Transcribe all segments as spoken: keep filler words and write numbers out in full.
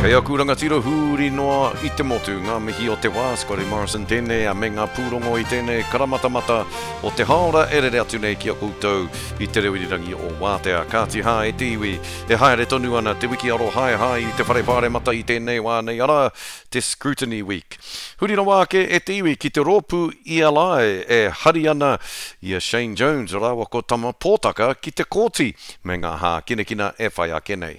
Kei aku rangatira huri noa i te motu, ngā mihi o te wā, Scotty Morrison tēnei, a me ngā pūrongo i tēnei karamatamata o te hāora e rere atu nei ki a koutou i te reo irirangi o Wātea. Kāti hā e te iwi, e haere tonu ana te wiki arohaehae i te whare pāremata i tēnei wā nei, arā, te Scrutiny Week. Huri rawa ake e te iwi ki te rōpū E L I e hari ana i a Shane Jones rāua ko Tama Pōtaka ki te kōti me ngā hākinakina e whai ake nei.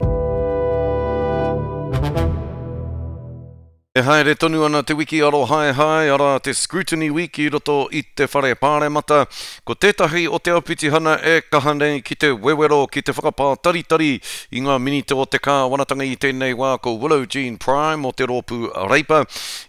E haere tonu ana te wiki arohaehae, arā te Scrutiny Week i roto i te whare pāremata. Ko tētahi o te āpitihana e kaha nei ki te wewero, ki te whakapātaritari i ngā minita o te kāwanatanga i tēnei wā ko Willow Jean Prime o te rōpū Reipa.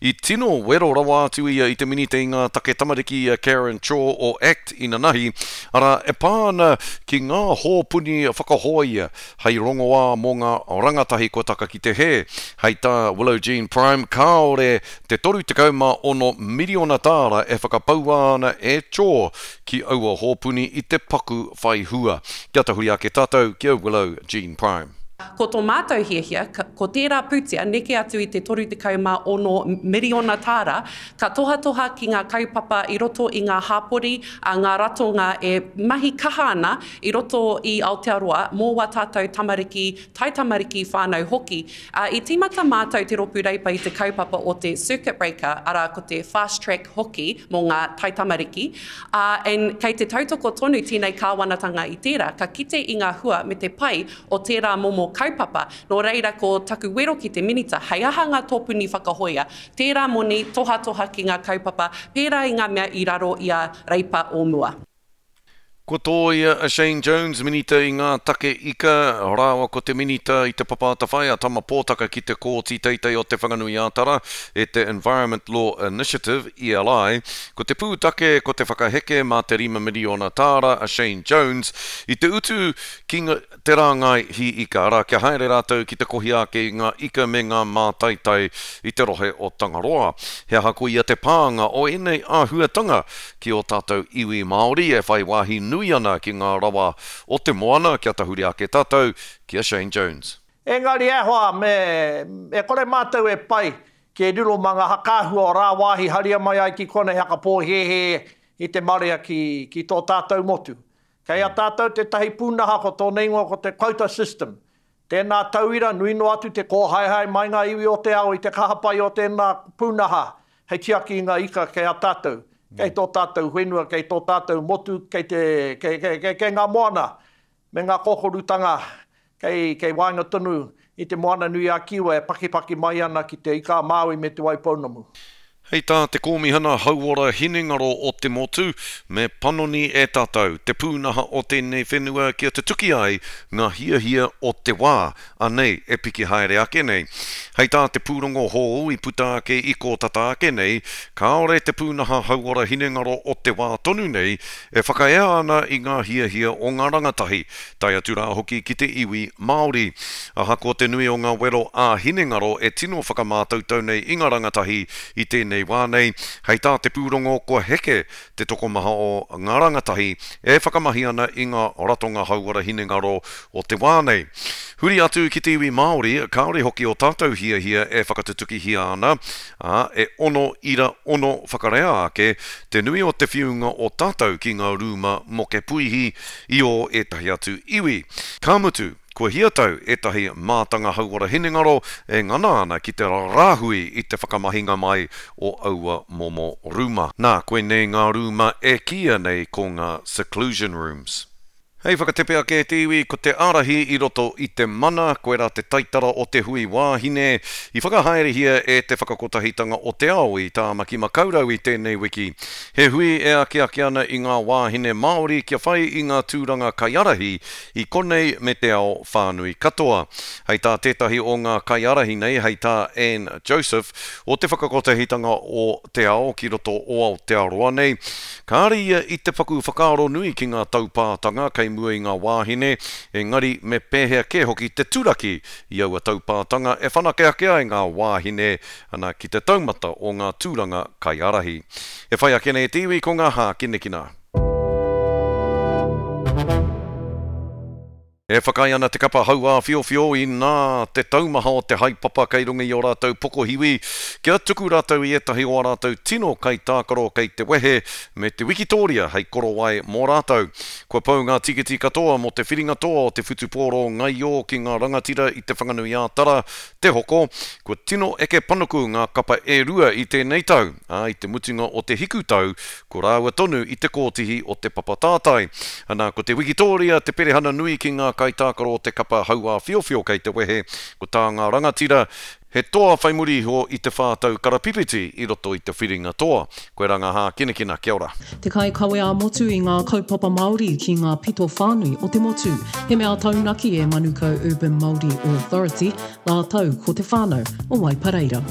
I tino wero rawa atu ia i te minita i ngā take tamariki a Karen Chhour o ACT inanahi, arā e pā ana ki ngā hōpuni whakahoia hei rongoā mō ngā rangatahi kua taka ki te hē. Hei tā Willow Jean Prime, kāore te toru tekau mā ono miriona tāra e whakapaua ana e Chhour ki aua hōpuni i te paku whai hua. Kia tahuri ake tātou ki a Willow Jean Prime. Ko tō mātou hiahia, ko tērā pūtea neke atu i te toru tekau mā ono miriona tāra, ka tohatoha ki ngā kaupapa i roto i ngā hāpori, a ngā ratonga e mahi kaha ana i roto i Aotearoa mō wā tātou tamariki, taitamariki whānau hoki. Uh, I tīmata mātou te rōpū Reipa i te kaupapa o te circuit breaker, arā ko te fast track hoki mō ngā taitamariki. Uh, and kei te tautoko tonu tēnei kāwanatanga i tērā, ka kite i ngā hua me te pai o tērā momo kaupapa. Nō reira ko taku wero ki te minita, hei aha ngā tōpuni whakahoia, tērā moni tohatoha ki ngā kaupapa, pērā i ngā mea i raro i a Reipa o mua. Ko tōia a Shane Jones, minita i ngā take ika, rāua ko te minita i te Papa Atawhai a Tama Pōtaka ki te kōti teitei o Te Whanganui-ā-Tara e te Environment Law Initiative, E L I. Ko te pūtake ko te whakaheke mā te rima miriona tāra a Shane Jones i te utu ki te rāngai hī ika, arā kia haere rātou ki te kohi ake i ngā ika me ngā mātaitai i te rohe o Tangaroa. He aha koia te pānga o ēnei āhuatanga ki o tātou iwi Māori e whai wāhi nui ana ki ngā rawa o te moana, kia tahuri ake tātou ki a Shane Jones. Engari e hoa, me, e kore mātou e pai ki e riro mā ngā whakaahua o rāwāhi haria mai ai ki konei hakapōhēhē i te marea ki, ki tō tātou motu. Kei a tātou tētahi pūnaha ko tōna ingoa ko te quota system. Tēnā tauira, nui noa atu te kōhaehae mai ngā iwi o te ao i te kahapai o tēnā pūnaha hei tiaki i ngā ika kei a tātou. Kei tō tātou whenua, kei tō tātou motu, kei, te, kei, kei, kei, kei ngā moana me ngā kōkorutanga kei, kei waenga tonu i te moana nui a Kiwa e pakipaki mai ana ki te ika a Māui me te Waipounamu. Hei tā te kōmihana hauora hinengaro o te motu, me panoni e tātou te pūnaha o tēnei whenua kia tutuki ai ngā hiahia o te wā, anei e piki haere ake nei. Hei tā te pūrongo hou i puta ake i kōtata ake nei, kāore te pūnaha hauora hinengaro o te wā tonu nei e whakaea ana i ngā hiahia o ngā rangatahi, tae atu rā hoki ki te iwi Māori. Ahakoa te nui o ngā wero ā hinengaro e tino whakamātautau nei i ngā rangatahi i tēnei wā nei, hei tā te pūrongo kua heke te tokomaha o ngā rangatahi e whakamahi ana i ngā ratonga hauora hinengaro o te wā nei. Huri atu ki te iwi Māori, kāore hoki o tātou hiahia e whakatutukihia ana, ā, e ono ira ono whakarea ake te nui o te whiunga o tātou ki ngā rūma mokepuihi i o ētahi atu iwi. Ka mutu, kua hia tau ētahi mātanga hauora hinengaro e ngana ana ki te rāhui i te whakamahinga mai o aua momo rūma. Nā, koinei ngā rūma e kīia nei ko ngā seclusion rooms. Hei whakatepe ake te iwi ko te ārahi i roto i te mana, koirā te taitara o te hui wāhine i whakahaerehia e te whakakotahitanga o te ao i Tāmaki Makaurau i tēnei wiki. He hui e akiaki ana i ngā wāhine Māori kia whai i ngā tūranga kaiārahi i konei me te ao whānui katoa. Hei tā tētahi o ngā kaiārahi nei, hei tā Anne Joseph, o te whakakotahitanga o te ao ki roto o Aotearoa nei. Kāre ia i te paku whakaaro nui ki ngā taupātanga kei mua i ngā wāhine, engari me pēhea kē hoki te turaki i aua taupātanga e whanake ake ai ngā wāhine ana ki te taumata o ngā tūranga kaiārahi. E whai ake nei te iwi ko ngā hākinakina. E whakaae ana te kapa hauāwhiowhio inā te taumaha o te haepapa kei runga i ō rātou pokohiwi kia tuku rātou i ētahi o ā rātou tino kaitākaro kei te wehe me te wikitōria hei korowai mō rātou. Kua pau ngā tikiti katoa mō te whiringa toa o te whutupōro ngaio ki ngā rangatira i Te Whanganui-ā-Tara te hoko. Kua tino eke panuku ngā kapa e rua i tēnei tau, ā, i te mutunga o te hikutau ko rāua tonu i te kōtihi o te papa tātai. Ana, ko te wikitōria te perehana nui ki ngā kaitākaro o te kapa hauāwhiowhio kei te wehe, ko tā ngā rangatira, he toa whai muri iho i te whā tau karapipiti i roto i te whiringa toa. Koirā ngā hākinakina, kia ora. Te kaikawe ā-motu i ngā kaupapa Māori ki ngā pito whānui o te motu. He mea taunaki e Manukau Urban Māori Authority rātou ko te whānau o Waipareira.